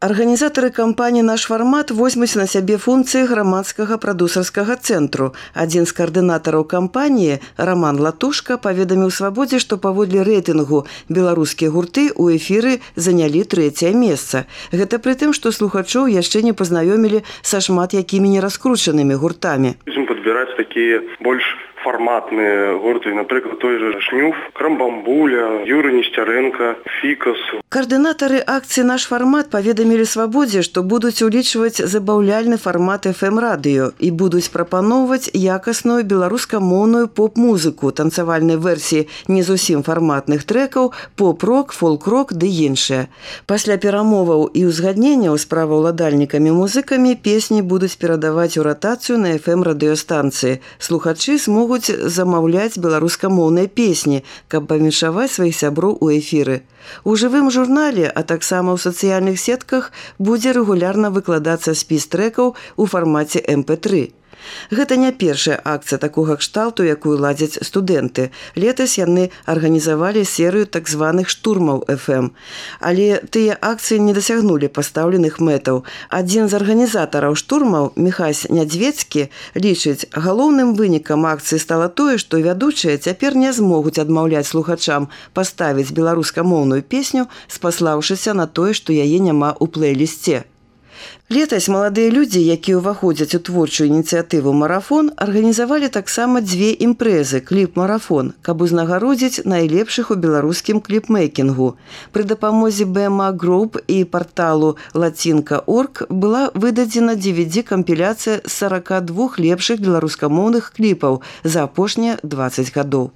Арганізатары кампаніі «Наш фармат» возьмуць на сябе функцыі грамадскага прадусарскага цэнтру. Адзін з каардынатараў кампаніі, Роман Латушка, паведаміў «Свабодзе», што паводле рэйтынгу беларускія гурты ў эфіры занялі 3е месца. Гэта пры тым, што слухачоў яшчэ не пазнаёмілі са шмат якімі нераскручанымі гуртамі. Будзем падбіраць такія больш фарматныя гурты, напрыклад, той же Шнюф, Крамбамбуля, Юрый Несцярэнка, Фікас. Каардынатары акцыі «Наш фармат» паведамілі «Свабодзе», што будуць улічваць забаўляльны фармат FM-радыё і будуць прапаноўваць якасную беларускамоўную поп-музыку, танцавальнай версіі не зусім фарматных трэкаў, поп-рок, фолк-рок ды іншыя. Пасля перамоваў і ўзгадненняў з праваўладальнікамі-музыкамі песні будуць перадаваць у ратацыю на FM-радыёстанцыі. Слухачы смогуць замаўляць беларускамоўныя песні, каб павіншаваць сваіх сяброў у эфіры. У жывым журнале, а таксама ў сацыяльных сетках будзе рэгулярна выкладацца спіс трэкаў у фармаце MP3. Гэта не першая акцыя такога кшталту, якую ладзяць студэнты. Летась яны арганізавалі серыю так званых штурмаў FM. Але тыя акцыі не дасягнулі пастаўленых мэтаў. Адзін з арганізатараў штурмаў, Міхась Нядзвецкі, лічыць, галоўным вынікам акцыі стала тое, што вядучыя цяпер не змогуць адмаўляць слухачам паставіць беларускамоўную песню, спаслаўшыся на тое, што яе няма ў плейлісце. Летась маладыя людзі, якія ўваходзяць у творчую ініцыятыву «Марафон», арганізавалі таксама 2 імпрэзы «Кліп-марафон», каб узнагародзіць найлепшых у беларускім кліпмейкінгу. Пры дапамозе BMA Group і парталу latinka.org была выдадзена DVD-кампіляцыя з 42 лепшых беларускамоўных кліпаў за апошнія 20 гадоў.